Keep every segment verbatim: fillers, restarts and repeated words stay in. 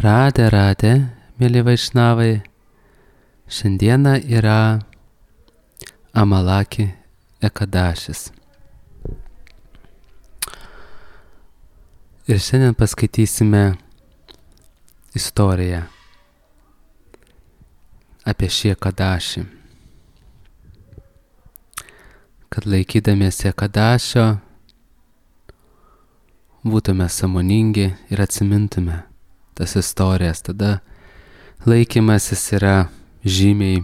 Radė, radė, mėly vaišnavai, šiandieną yra Amalaki Ekadašis. Ir šiandien paskaitysime istoriją apie šį Ekadašį. Kad laikydamiesi Ekadašio būtume sąmoningi ir atsimintume tas istorijas, tada laikymasis yra žymiai,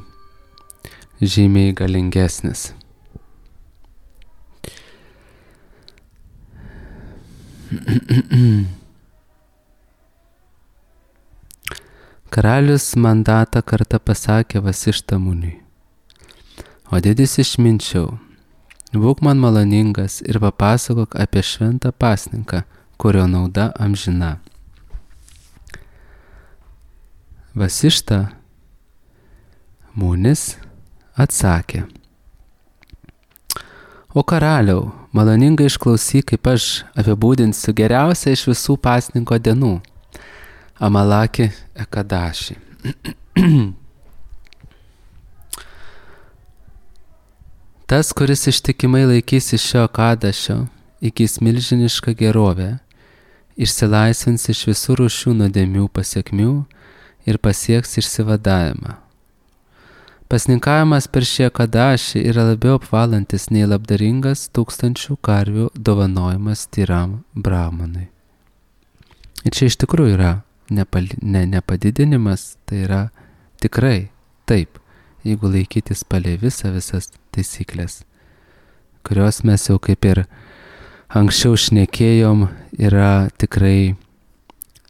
žymiai galingesnis. Karalius mandatą kartą pasakė Vasišta muniui: O didis išminčiau, būk man maloningas ir papasakok apie šventą pasninką, kurio nauda amžina. Vasišta munis atsakė: O karaliau, maloningai išklausyk, kaip aš apibūdinsiu geriausią iš visų pasninko dienų – Amalaki Ekadašį. Tas, kuris ištikimai laikysi šio Ekadašio, įgys milžinišką gerovę, išsilaisvins iš visų rūšių nuodėmių pasekmių ir pasieks išsivadavimą. Pasninkavimas per šį Ekadašį yra labiau apvalantis nei labdaringas tūkstančių karvių dovanojimas tyram brahmanui. Ir čia iš tikrųjų yra nepali, ne, nepadidinimas, tai yra tikrai taip, jeigu laikytis palei visą visas taisyklės, kurios mes jau kaip ir anksčiau šnekėjom, yra tikrai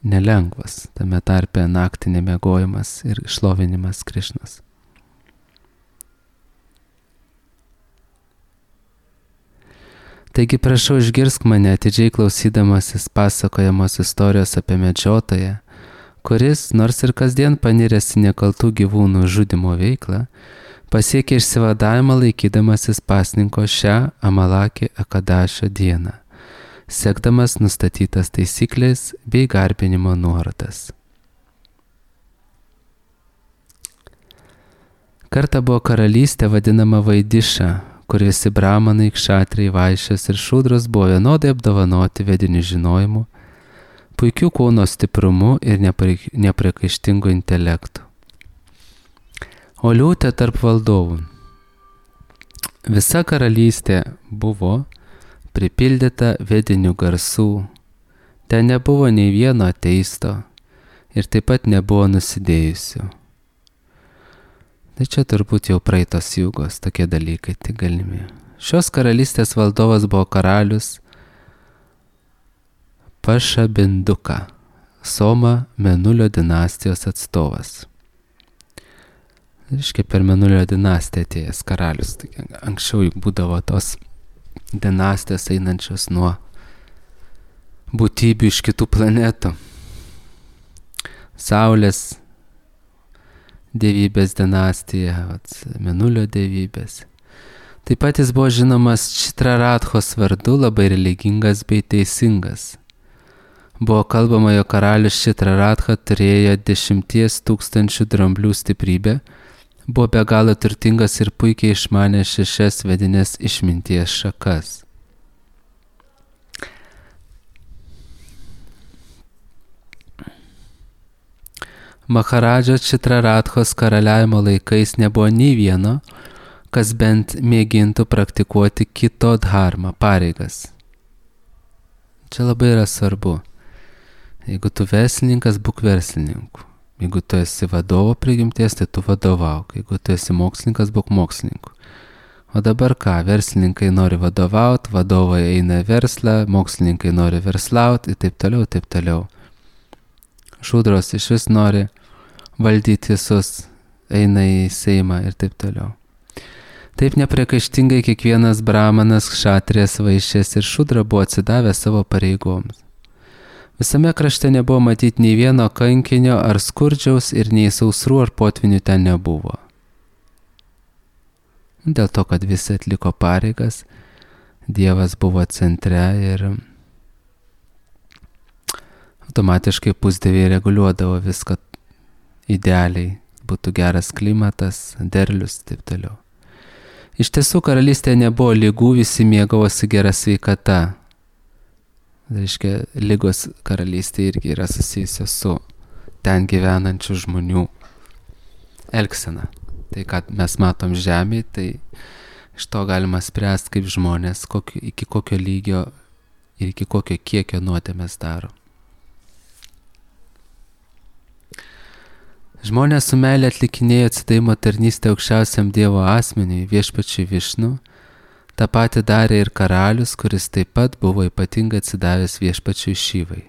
nelengvas, tame tarpe naktį nemiegojimas ir šlovinimas Krišnos. Taigi prašau, išgirsk mane atidžiai klausydamasis pasakojamos istorijos apie medžiotoją, kuris, nors ir kasdien paniręs į nekaltų gyvūnų žudymo veiklą, pasiekė išsivadavimą laikydamasis pasninko šią Amalaki Ekadašio dieną, sekdamas nustatytas taisyklės bei garbinimo nuorodas. Kartą buvo karalystė vadinama Vaidiša, kur visi brahmanai, kšatriai, vaišės ir šūdros buvo vienodai apdovanoti vediniu žinojimu, puikių kūno stiprumu ir nepriekaištingu intelektu. O liūtė tarp valdovų. Visa karalystė buvo pripildyta vedinių garsų, ten nebuvo nei vieno ateisto ir taip pat nebuvo nusidėjusių. Tai čia turbūt jau praeitos jugos tokie dalykai tik galimi. Šios karalystės valdovas buvo karalius Pašabinduka, Soma Menulio dinastijos atstovas. Reiškia, per Menulio dinastiją atėjęs karalius. Anksčiau juk būdavo tos dinastijos einančios nuo būtybių iš kitų planetų. Saulės dievybės dinastija, Menulio dievybės. Taip pat jis buvo žinomas Čitraradhos vardu, labai religingas bei teisingas. Buvo kalbama, jo karalius Čitraradha turėjo dešimties tūkstančių dramblių stiprybę, buvo be galo turtingas ir puikiai išmanė šešias vedinės išminties šakas. Maharadžo Čitraradhos karaliavimo laikais nebuvo nei vieno, kas bent mėgintų praktikuoti kito dharmą, pareigas. Čia labai yra svarbu. Jeigu tu verslininkas, būk verslininku. Jeigu tu esi vadovo prigimties, tai tu vadovauk. Jeigu tu esi mokslininkas, būk mokslininku. O dabar ką? Verslininkai nori vadovauti, vadovai eina į verslą, mokslininkai nori verslauti ir taip toliau, taip toliau. Šūdros iš vis nori valdyti visus, eina į Seimą ir taip toliau. Taip nepriekaištingai kiekvienas brahmanas, kšatrijas, vaišės ir šūdra buvo atsidavę savo pareigoms. Visame krašte nebuvo matyti nei vieno kankinio ar skurdžiaus ir nei sausrų ar potvinių ten nebuvo. Dėl to, kad visi atliko pareigas, Dievas buvo centre ir automatiškai pusdieviai reguliuodavo viską idealiai, būtų geras klimatas, derlius, taip toliau. Iš tiesų, karalystėje nebuvo lygų, visi mėgavosi gera sveikata. Reiškia, lygos karalystė irgi yra susijusios su ten gyvenančių žmonių elgsena. Tai, kad mes matom žemėje, tai iš to galima spręsti, kaip žmonės, kokio, iki kokio lygio ir iki kokio kiekio nuodėmės daro. Žmonės su meilė atlikinėjo atsidavimo tarnystę aukščiausiam Dievo asmeniui, viešpačiui Višnu. Ta pati darė ir karalius, kuris taip pat buvo ypatingai atsidavęs viešpačiui Šivai.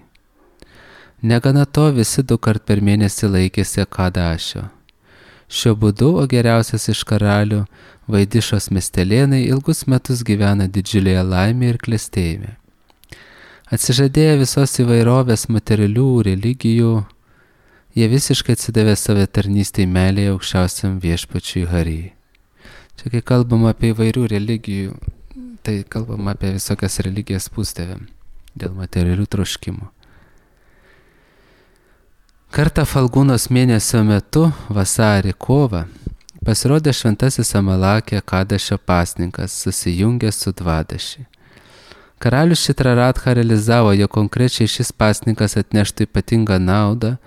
Negana to, visi du kart per mėnesį laikėsi Kadašio. Šiuo būdu, o geriausias iš karalių, Vaidišos miestelėnai ilgus metus gyvena didžiulėje laimėje ir klestėjime. Atsižadėję visos įvairovės materialių religijų, jie visiškai atsidavė save tarnystei meilėje aukščiausiam viešpačiui Harijai. Čia kai kalbam apie įvairių religijų, tai kalbam apie visokias religijas pūstėvėm dėl materialių troškimų. Kartą Falgūnos mėnesio metu, vasarį kovą, pasirodė šventasis Amalakė Kadašio pasninkas, susijungęs su Dvadaši. Karalius Šitraratha realizavo, jo konkrečiai šis pasninkas atneštų ypatingą naudą,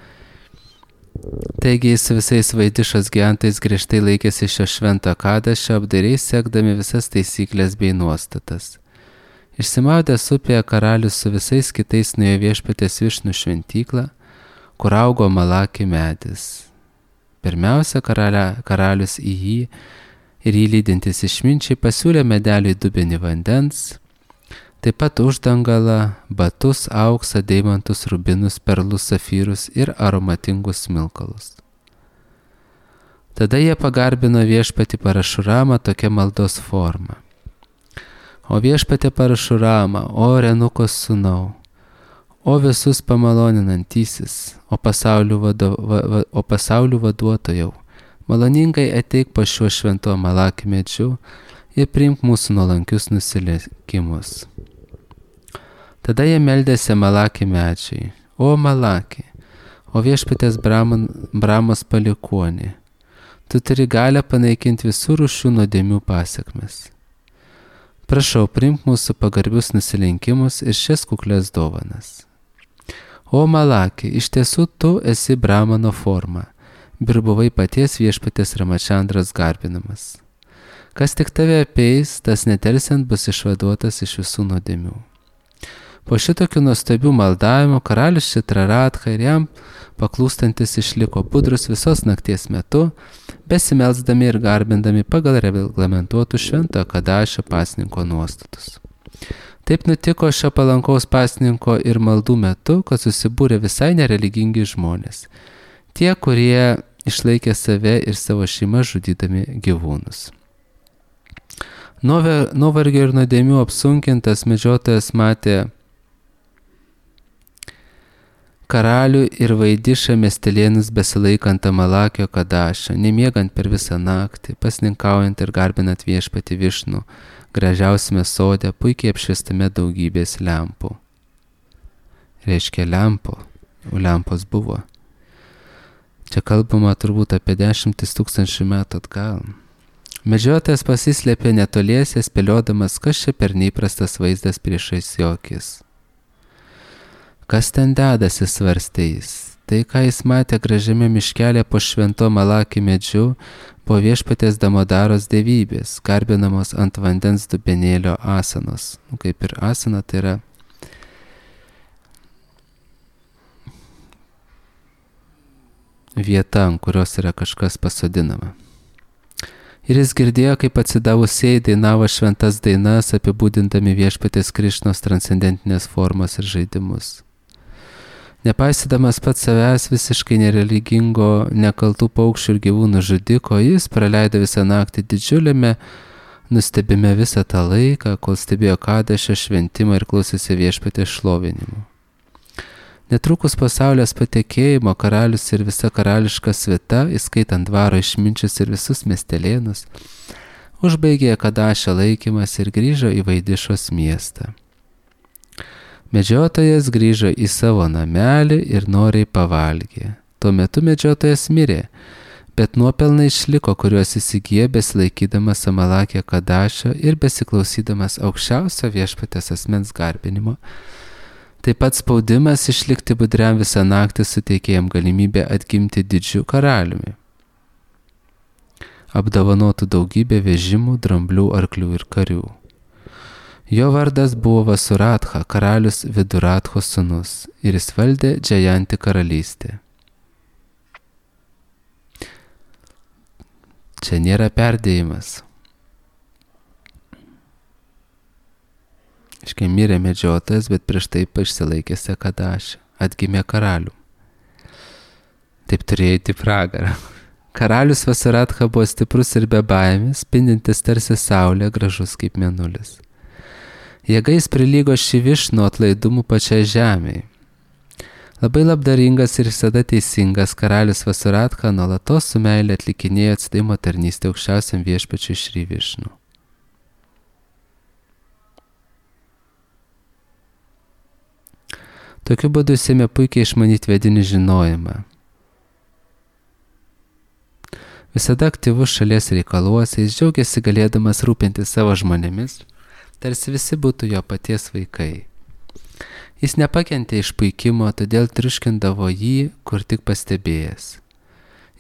taigi jis su visais Vaidišos gyventojais griežtai laikėsi šio švento Kadašio, apdairiai sekdami visas taisyklės bei nuostatas. Išsimaudęs upėje, karalius su visais kitais nuėjo viešpaties Višnų šventyklą, kur augo Amalakė medis. Pirmiausia, karalia, karalius į jį ir jį lydintis išminčiai pasiūlė medeliui dubenį vandens, taip pat uždangalą, batus, auksą, deimantus, rubinus, perlus, safyrus ir aromatingus smilkalus. Tada jie pagarbino viešpatį Parašuramą tokia maldos forma. O viešpatė Parašurama, o Renukos sūnau, o visus pamaloninantysis, o pasaulių, vado, va, va, o pasaulių vaduotojau, maloningai ateik po šiuo šventu Amalakė medžiu ir priimk mūsų nuolankius nusilenkimus. Tada jie meldėsi Amalakė medžiai, o Amalakė, o viešpatės Braman, Bramos palikuonė, tu turi galę panaikinti visų rūšių nuodėmių pasekmes. Prašau, priimk mūsų pagarbius nusilenkimus ir šias kuklės dovanas. O Amalakė, iš tiesų tu esi Brahmano forma, ir buvai paties viešpatės Ramačandros garbinamas. Kas tik tave apeis, tas nedelsiant bus išvaduotas iš visų nuodėmių. Po šitokių nuostabių maldavimų karalius Šitraratha ir jam paklūstantis išliko budrus visos nakties metu, besimelsdami ir garbindami pagal reglamentuotų šventojo Kadašio pasninko nuostatus. Taip nutiko šio palankaus pasninko ir maldų metu, kad susibūrė visai nereligingi žmonės, tie, kurie išlaikė save ir savo šeimą žudydami gyvūnus. Nuovargio ir nuodėmių apsunkintas medžiotojas matė karalių ir Vaidišą miestelėnus besilaikant Amalakio Kadašio, nemiegant per visą naktį, pasninkaujant ir garbinant viešpatį Višnų, gražiausiame sode, puikiai apšviestame daugybės lempų. Reiškia lempo, o lempos buvo. Čia kalbama turbūt apie dešimtis tūkstančių metų atgal. Medžiotojas pasislėpė netoliese, spėliodamas, kas čia per neįprastas vaizdas priešais jo akis. Kas ten dedasi, svarstė jis. Tai, ką jis matė gražiame miškelė po švento Amalakė medžiu, po viešpatės Damodaros dievybės, garbinamos ant vandens dubenėlio asanos. Nu, kaip ir asana, tai yra vieta, ant kurios yra kažkas pasodinama. Ir jis girdėjo, kaip atsidavusieji dainavo šventas dainas, apibūdindami viešpatės Krišnos transcendentinės formas ir žaidimus. Nepaisydamas pats savęs visiškai nereligingo, nekaltų paukščių ir gyvūnų žudiko, jis praleido visą naktį didžiuliame nustebime visą tą laiką, kol stebėjo Kadašio šventimą ir klausėsi viešpatės šlovinimų. Netrukus po saulės patekėjimo karalius ir visa karališka svita, įskaitant dvaro išminčius ir visus miestelėnus, užbaigė Kadašio laikymas ir grįžo į Vaidišos miestą. Medžiotojas grįžo į savo namelį ir noriai pavalgė. Tuo metu medžiotojas mirė, bet nuopelnai išliko, kuriuos įsigijo besilaikydamas Amalakė Kadašio ir besiklausydamas aukščiausio viešpatės asmens garbinimo. Taip pat spaudimas išlikti budriam visą naktį suteikė jam galimybę atgimti didžiu karaliumi, apdovanotų daugybę vežimų, dramblių, arklių ir karių. Jo vardas buvo Vasuratha, karalius Viduratho sūnus, ir jis valdė Džajanti karalystę. Čia nėra perdėjimas. Iškai mirė medžiotojas, bet prieš tai išsilaikėsi Kadašį, atgimė karalių. Taip turėjo įti pragarą. Karalius Vasuratha buvo stiprus ir be baimės, spindintis tarsi saulė, gražus kaip mėnulis. Jėgais prilygo Šivišnu atlaidumu pačiai žemei. Labai labdaringas ir visada teisingas karalius Vasuratha nuolatos su meilė atlikinėjo atsidavimo tarnystę aukščiausiam viešpačiui Šri Višnu. Tokiu būdu jis ėmė puikiai išmanyti vedinį žinojimą. Visada aktyvus šalies reikaluose, jis džiaugiasi galėdamas rūpinti savo žmonėmis, tarsi visi būtų jo paties vaikai. Jis nepakentė išpuikimo, todėl triuškindavo jį, kur tik pastebėjęs.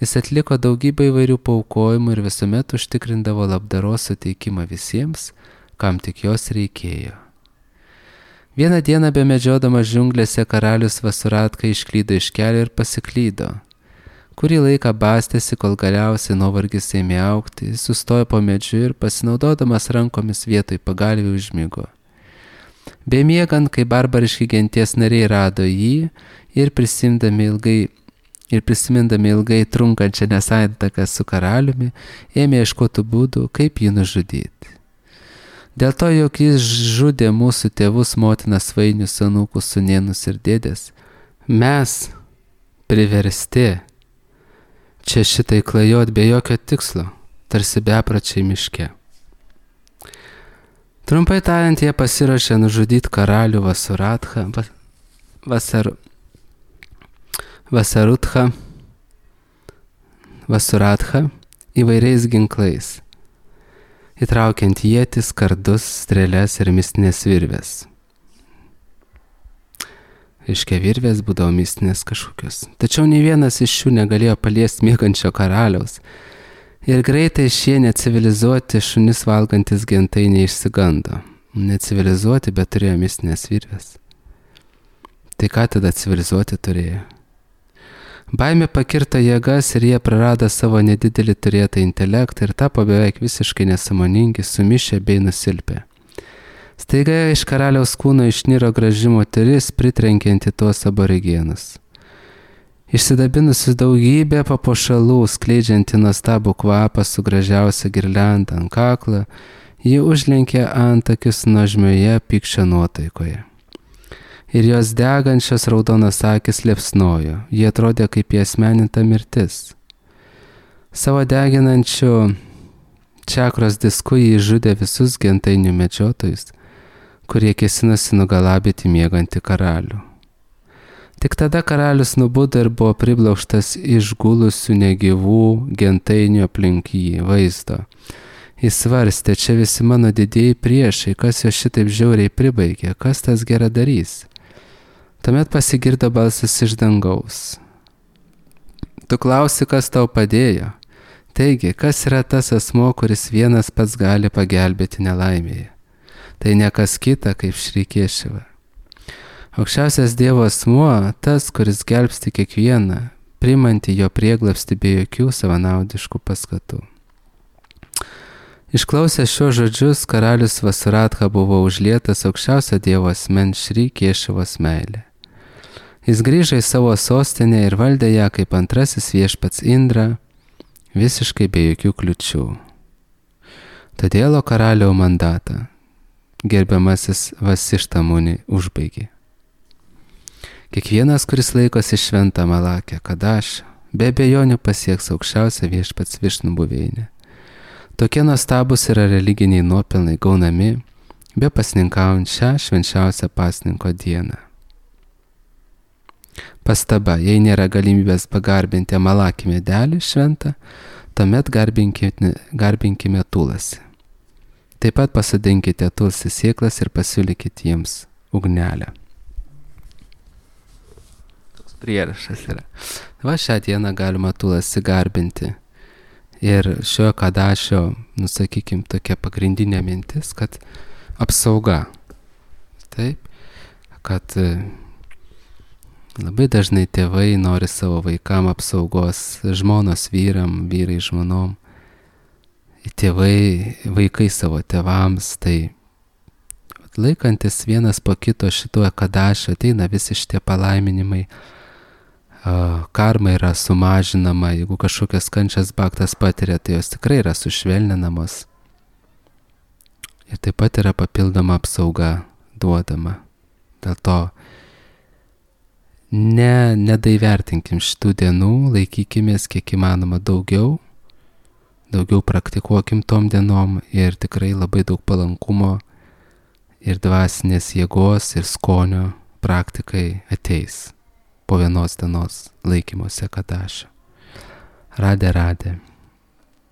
Jis atliko daugybę įvairių paaukojimų ir visuomet užtikrindavo labdaros suteikimą visiems, kam tik jos reikėjo. Vieną dieną bemedžiodamas džiunglėse karalius Vasuratha išklydo iš kelio ir pasiklydo. Kurį laiką bastėsi, kol galiausiai nuovargis ėmė augti, jis sustojo po medžiu ir pasinaudodamas rankomis vietoj pagalvių užmigo. Bemiegant, kai barbariški genties nariai rado jį ir prisimindami ilgai, ir prisimindami ilgai trunkančią nesantaką su karaliumi, ėmė ieškoti būdų, kaip jį nužudyti. Dėl to, jog jis žudė mūsų tėvus, motinas, svainius, anūkus, sūnėnus ir dėdės, mes priversti čia šitai klajot be jokio tikslo, tarsi bepračiai miške. Trumpai tariant, jie pasiruošė nužudyti karalių Vasuratha, Vasar, Vasarutha, Vasuratha įvairiais ginklais, įtraukiant ietis, kardus, strėles ir mistinės virvės. Iškia virvės būdavo mistinės kažkokios. Tačiau nei vienas iš šių negalėjo paliesti miegančio karaliaus. Ir greitai šie necivilizuoti šunis valgantis gentai neišsigando. Necivilizuoti, bet turėjo mistinės virvės. Tai ką tada civilizuoti turėjo? Baimė pakirto jėgas ir jie prarado savo nedidelį turėtą intelektą ir tapo beveik visiškai nesąmoningi, sumišę bei nusilpę. Staiga iš karaliaus kūno išniro graži moteris, pritrenkianti tuos aborigenus. Išsidabinusi daugybę papuošalų, skleidžianti nuostabų kvapą su gražiausia girlianda ant kaklo, ji užlenkė antakius nuožmioje pykčio nuotaikoje. Ir jos degančios raudonos akis liepsnojo, jie atrodė kaip įasmeninta mirtis. Savo deginančių čakros disku jį žudė visus gentainių medžiotojus, kurie kėsinosi nugalabyti miegantį karalių. Tik tada karalius nubudo ir buvo priblauštas išgulusių negyvų gentainių aplink jį vaizdo. Jis svarstė, čia visi mano didieji priešai, kas jo šitaip žiauriai pribaigė, kas tas geradarys. Tuomet pasigirdo balsas iš dangaus. Tu klausi, kas tau padėjo? Taigi, kas yra tas asmo, kuris vienas pats gali pagelbėti nelaimėje? Tai ne kas kita, kaip Šri Kešava. Aukščiausias Dievo asmuo, tas, kuris gelbsti kiekvieną, primanti jo prieglapstį be jokių savanaudiškų paskatų. Išklausęs šios žodžius, karalius Vasuratha buvo užlietas aukščiausio Dievo asmens Šri Kešavos meilė. Jis grįžo į savo sostinę ir valdė ją kaip antrasis viešpats Indra, visiškai be jokių kliučių. Todėl karaliaus mandatą gerbiamasis Vasišta Muni užbaigė. Kiekvienas, kuris laikosi šventą Amalakę Kadašą, be abejonių pasieks aukščiausią viešpats Višnu buveinę. Tokie nuostabūs yra religiniai nuopelnai gaunami be pasninkaujant šią švenčiausią pasninko dieną. Pastaba, jei nėra galimybės pagarbinti amalakį medelį šventą, tuomet garbinkime, garbinkime tulasi. Taip pat pasodinkite tulsi sėklas ir pasiūlykite jiems ugnelę. Toks prierašas yra. Va, šią dieną galima tulasi garbinti. Ir šio kadašio, nusakykim, tokia pagrindinė mintis, kad apsauga. Taip, kad labai dažnai tėvai nori savo vaikam apsaugos, žmonos vyram, vyrai žmonom, tėvai, vaikai savo tėvams, tai laikantis vienas po kito šituo kadašio ateina visi šitie palaiminimai, karma yra sumažinama, jeigu kažkokias kančias baktas patiria, tai jos tikrai yra sušvelninamos. Ir taip pat yra papildoma apsauga duodama. Dėl to ne, nedaivertinkim šitų dienų, laikykimės kiek įmanoma daugiau, daugiau praktikuokim tom dienom ir tikrai labai daug palankumo ir dvasinės jėgos ir skonio praktikai ateis po vienos dienos laikymuose kadašio. Radė, radė.